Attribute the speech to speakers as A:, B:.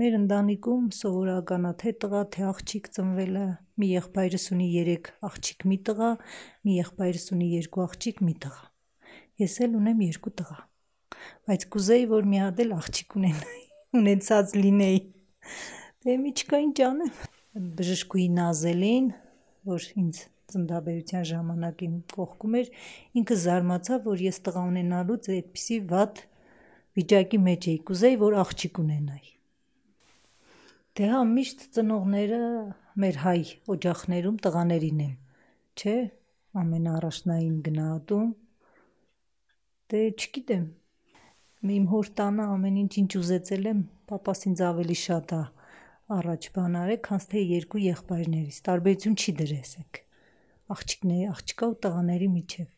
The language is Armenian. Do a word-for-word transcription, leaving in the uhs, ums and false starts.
A: Մեր ընտանիքում սովորական է թե տղա, թե աղջիկ ծնվել է, մի եղբայրս ունի երեք աղջիկ, մի տղա, մի եղբայրս ունի երկու աղջիկ, մի տղա։ Ես էլ ունեմ երկու տղա, բայց կուզեի, որ մի հատ էլ աղջիկ ունենայի, ունեցած լինեի։ Դե մի չկա ինչ անեմ։ Բժշկուհի Նազելին, որ ինձ ծննդաբերության ժամանակ իմ կողքում էր, ինքը զարմացավ, որ ես տղա ունենալուց այդպիսի վատ վիճակի մեջ էի, կուզեի, որ աղջիկ ունենայի։ Դե հա, միշտ ծնողները մեր հայ օջախներում տղաներին են, չէ, ամենաառաջնային գնահատում։ Դե չգիտեմ, իմ հոր տանը ամեն ինչ ինչ ուզեցել եմ, պապաս ինձ ավելի շատ է առաջ բան արել, քան թե երկու եղբայրներիս, տարբերություն չի դրել աղջիկների, աղջկա ու տղաների միջև։